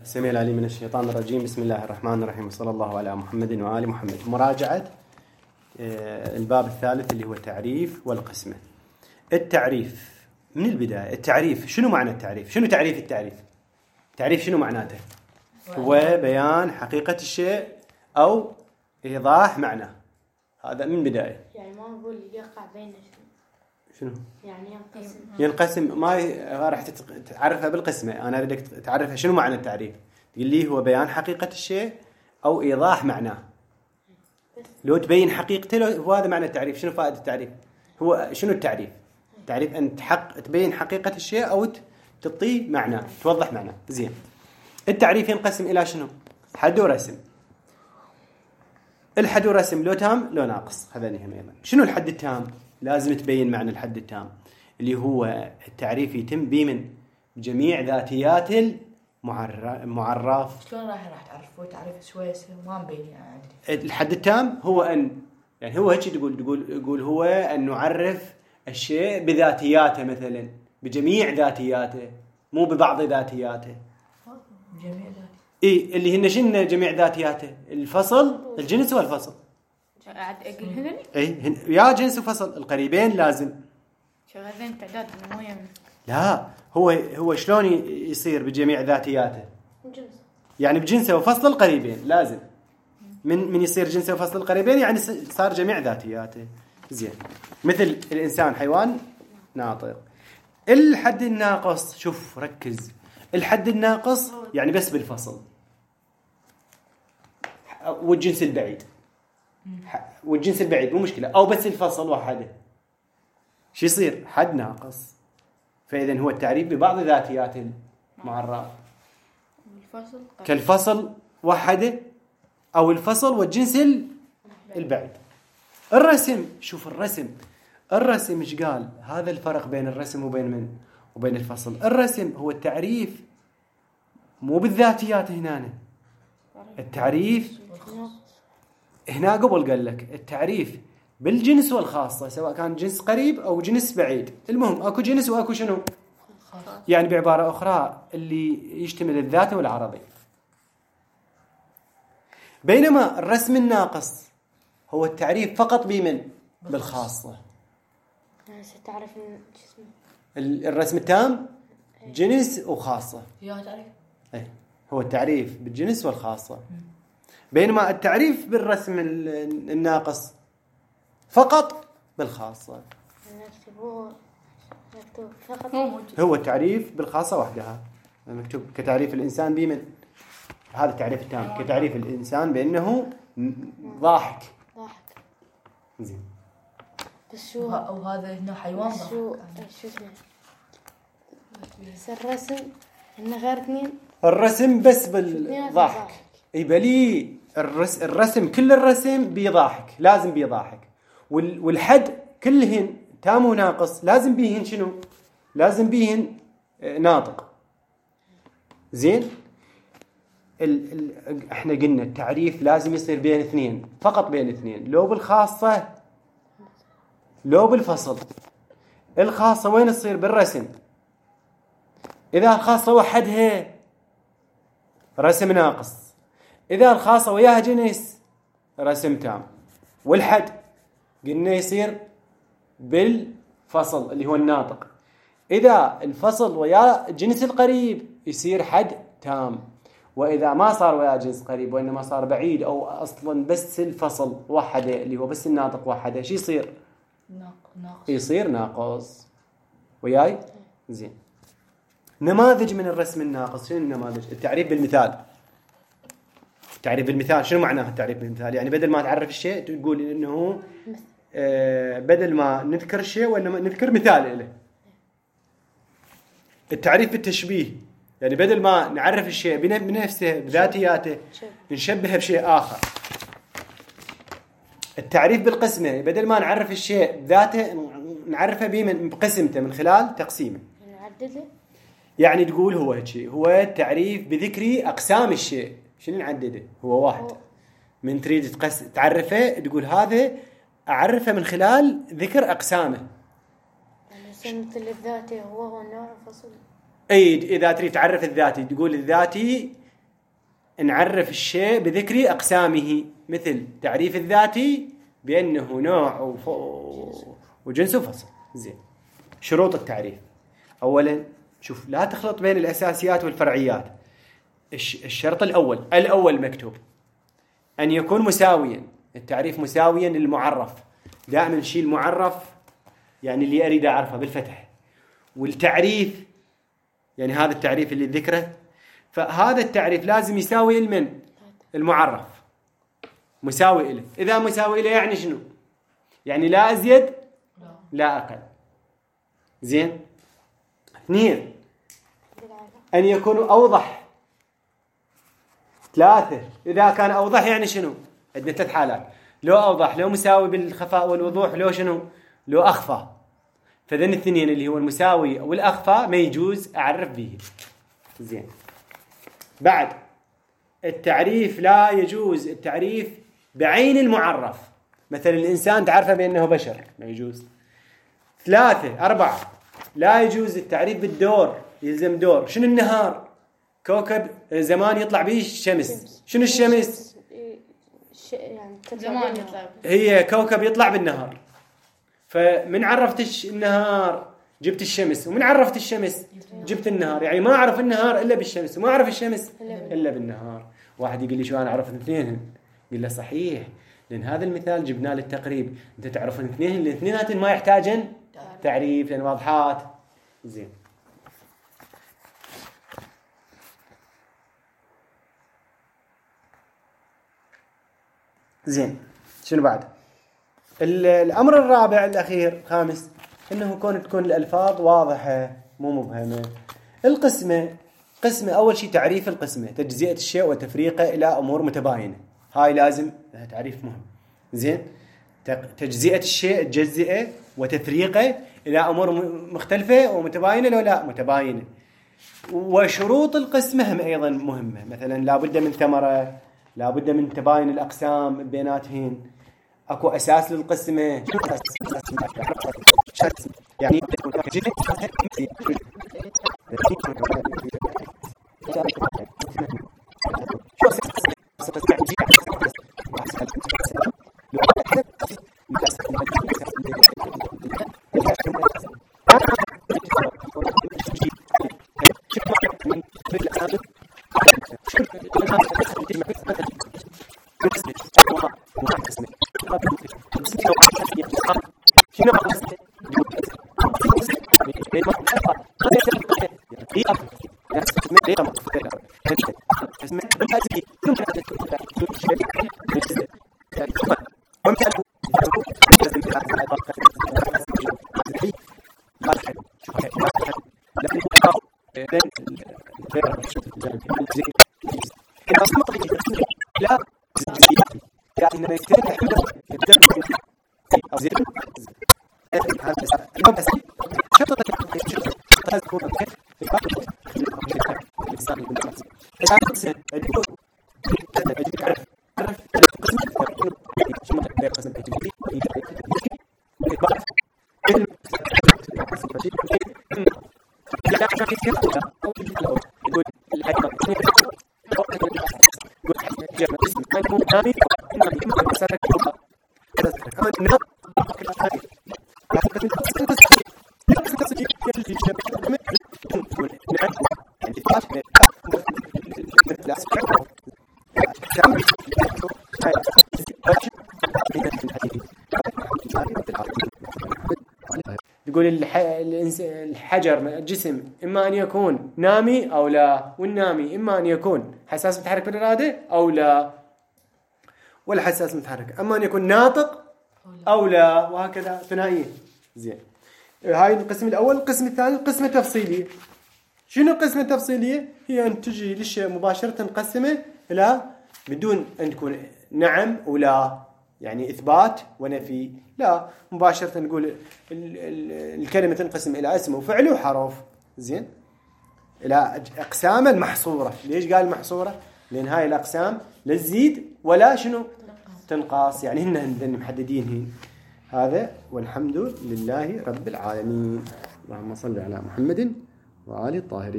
السميع العليم من الشيطان الرجيم. بسم الله الرحمن الرحيم، وصلى الله على محمد وآل محمد. مراجعة الباب الثالث اللي هو التعريف والقسمة. التعريف من البداية. التعريف شنو معنى التعريف؟ شنو تعريف التعريف؟ تعريف شنو معناته؟ هو بيان حقيقة الشيء أو إيضاح معناه. هذا من البداية. يعني ما نقول يقع بين شنو؟ يعني ينقسم ما راح تعرفها بالقسمة. أنا أريدك تعرفها شنو معنى التعريف. تقول لي هو بيان حقيقة الشيء أو إيضاح معناه. لو تبين حقيقته هو هذا معنى التعريف. شنو فائدة التعريف؟ هو شنو التعريف؟ التعريف أن تبين حقيقة الشيء أو تعطيه معناه، توضح معناه. زين. التعريف ينقسم إلى شنو؟ حد ورسم. الحد والرسم لو تام لو ناقص، هذا نهم أيضا. شنو الحد التام؟ لازم تبين معنى الحد التام اللي هو التعريف يتم بمن جميع ذاتيات المعرف. شلون راح تعرفه تعريف شويه ما مبين يعني. الحد التام هو ان يعني هو هيك تقول هو ان نعرف الشيء بذاتياته، مثلا بجميع ذاتياته مو ببعض ذاتياته. جميع ذاتياته اللي هن شنو جميع ذاتياته؟ الفصل، الجنس والفصل. يا جنس وفصل القريبين لازم شغالين تعداد المويه. لا هو شلون يصير بجميع ذاتياته؟ يعني بجنسه وفصل القريبين لازم. من يصير جنسه وفصل القريبين يعني صار جميع ذاتياته. زين. مثل الإنسان حيوان ناطق. الحد الناقص، شوف ركز، الحد الناقص يعني بس بالفصل والجنس البعيد. والجنس البعيد مو مشكلة، أو بس الفصل وحده. شو يصير؟ حد ناقص. فإذا هو التعريف ببعض ذاتيات المعرف كالفصل وحده أو الفصل والجنس البعيد. الرسم، شوف الرسم إيش قال؟ هذا الفرق بين الرسم وبين من؟ وبين الفصل. الرسم هو التعريف مو بالذاتيات هنا. التعريف هنا قبل قال لك التعريف بالجنس والخاصة، سواء كان جنس قريب أو جنس بعيد. المهم أكو جنس وأكو شنو؟ يعني بعبارة أخرى اللي يشتمل الذات والعرضي. بينما الرسم الناقص هو التعريف فقط بمن؟ بالخاصة. تعرف الرسم التام جنس وخاصة. تعريف. هو التعريف بالجنس والخاصة. بينما التعريف بالرسم الناقص فقط بالخاصة. هو التعريف بالخاصة وحدها مكتوب كتعريف الإنسان بمن؟ هذا التعريف التام كتعريف الإنسان بأنه ضاحك. زين. بس شو أو هذا هنا حيوان ضاحك. شو الرسم إنه غير اثنين. الرسم بس بالضحك. يبلي الرسم كل الرسم بيضحك، لازم بيضحك. والحد كلهن تام وناقص لازم بيهن شنو؟ لازم بيهن ناطق. زين. احنا قلنا التعريف لازم يصير بين اثنين، فقط بين اثنين، لو بالخاصة لو بالفصل. الخاصة وين تصير؟ بالرسم. إذا الخاصة وحدها رسم ناقص، إذا الخاصة وياها جنس رسم تام. والحد قلنا يصير بالفصل اللي هو الناطق. إذا الفصل ويا جنس القريب يصير حد تام. وإذا ما صار ويا جنس قريب وإنما صار بعيد أو أصلا بس الفصل وحده اللي هو بس الناطق وحده، شو يصير؟ ناقص. يصير ناقص. وياي؟ زين. نماذج من الرسم الناقص. شنو النماذج؟ التعريف بالمثال. التعريف بالمثال شنو معناه التعريف بالمثال؟ يعني بدل ما تعرف الشيء تقول إنه بدل ما نذكر الشيء وإنما نذكر مثال له. التعريف بالتشبيه يعني بدل ما نعرف الشيء بنفسه بذاتياته نشبهه بشيء آخر. التعريف بالقسمة بدل ما نعرف الشيء بذاته نعرفه بقسمته من خلال تقسيمه. نعدده. يعني تقول هو هيك هو التعريف بذكر أقسام الشيء. شنو نعدده؟ هو واحد. من تريد تعرفه تقول هذا أعرفه من خلال ذكر أقسامه. يعني مثل الذاتي هو النوع الفصل. إذا تريد تعرف الذاتي تقول الذاتي نعرف الشيء بذكر أقسامه، مثل تعريف الذاتي بأنه نوع وجنس وفصل. زين، شروط التعريف. أولا شوف، لا تخلط بين الأساسيات والفرعيات. الشرط الأول مكتوب أن يكون مساويا، التعريف مساويا للمعرف. دائما شيء المعرف يعني اللي أريد أعرفه بالفتح، والتعريف يعني هذا التعريف اللي ذكره، فهذا التعريف لازم يساوي المن المعرف، مساوي له. إذا مساوي له يعني شنو؟ يعني لا أزيد لا أقل. زين. 2 أن يكون أوضح. 3 إذا كان أوضح يعني شنو؟ عندنا 3 حالات: لو أوضح، لو مساوي بالخفاء والوضوح، لو شنو؟ لو أخفى. فذن الاثنين اللي هو المساوي والأخفى ما يجوز أعرف به. زين. بعد التعريف لا يجوز التعريف بعين المعرف، مثل الإنسان تعرفه بأنه بشر، ما يجوز. 3 4 لا يجوز التعريف بالدور، يلزم دور. شنو النهار؟ كوكب زمان يطلع به الشمس. شنو الشمس؟ يعني زمان يطلع، هي كوكب يطلع بالنهار. فمن عرفت النهار جبت الشمس، ومن عرفت الشمس جبت النهار. يعني ما أعرف النهار إلا بالشمس، وما أعرف الشمس إلا بالنهار. واحد يقول لي شو أنا أعرف الاثنين؟ قل له صحيح، لأن هذا المثال جبناه للتقريب. أنت تعرف الاثنين، الاثنينات ما يحتاجن تعريف لأن واضحات. زين. زين، شنو بعد؟ الأمر الرابع الأخير 5 إنه تكون الألفاظ واضحة مو مبهمة. القسمة، أول شيء تعريف القسمة: تجزئة الشيء وتفريقه إلى أمور متباينة. هاي لازم تعريف مهم. زين. تجزئة الشيء، تجزئه وتفريقه إلى أمور مختلفة ومتباينة لو لا متباينة. وشروط القسمة هم أيضا مهمة، مثلا لابد من ثمرة، لابد من تباين الأقسام بيناتهن. أكو أساس للقسمة، يعني يقول الحجر الجسم إما أن يكون نامي أو لا، والنامي إما أن يكون حساس متحرك بالإرادة أو لا، والحساس متحرك أما أن يكون ناطق أو لا، وهكذا ثنائية. زين، هاي القسم الأول. القسم الثاني قسمة تفصيلية. شنو قسمة تفصيلية؟ هي أن تجي للشيء مباشرة نقسمه إلى بدون أن تكون نعم ولا، يعني إثبات ونفي، لا، مباشرة نقول الكلمة تنقسم إلى اسم وفعل وحرف. زين، إلى أقسام المحصورة. ليش قال محصورة؟ لأن هاي الأقسام لا تزيد ولا شنو تنقص، يعني هن محددين. هذا والحمد لله رب العالمين. اللهم صل على محمد وآل الطاهرين.